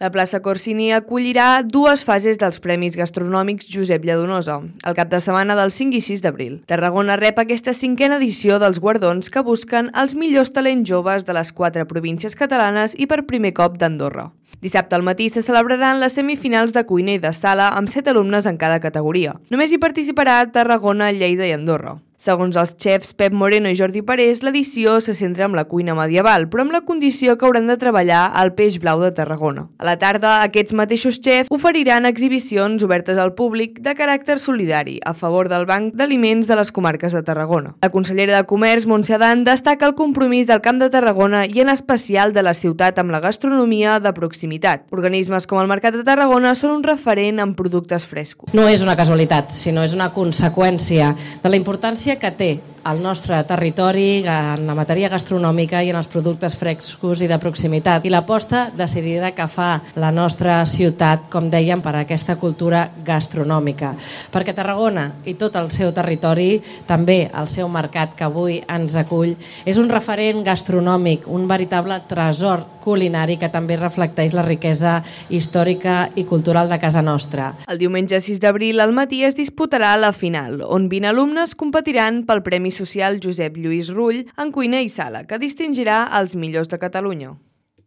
La plaça Corsini acollirà dues fases dels Premis Gastronòmics Josep Lladonosa, el cap de setmana del 5 i 6 d'abril. Tarragona rep aquesta 5a edició dels guardons que busquen els millors talents joves de les 4 províncies catalanes i per primer cop d'Andorra. Dissabte al matí se celebraran les semifinals de cuina i de sala amb 7 alumnes en cada categoria. Només hi participarà Tarragona, Lleida i Andorra. Segons els xefs Pep Moreno i Jordi Parés, l'edició se centra en la cuina medieval, però amb la condició que hauran de treballar el peix blau de Tarragona. A la tarda, aquests mateixos xefs oferiran exhibicions obertes al públic de caràcter solidari a favor del Banc d'Aliments de les comarques de Tarragona. La consellera de Comerç, Montse Adán, destaca el compromís del Camp de Tarragona i en especial de la ciutat amb la gastronomia de proximitat. Organismes com el Mercat de Tarragona són un referent en productes frescos. No és una casualitat, sinó és una conseqüència de la importància que té el nostre territori en la matèria gastronòmica i en els productes frescos i de proximitat i l'aposta decidida que fa la nostra ciutat, com dèiem, per a aquesta cultura gastronòmica. Perquè Tarragona i tot el seu territori, també el seu mercat que avui ens acull, és un referent gastronòmic, un veritable tresor culinari que també reflecteix la riquesa històrica i cultural de casa nostra. El diumenge 6 d'abril al matí es disputarà la final, on 20 alumnes competiran pel Premi Social Josep Lluís Rull en cuina i sala, que distingirà els millors de Catalunya.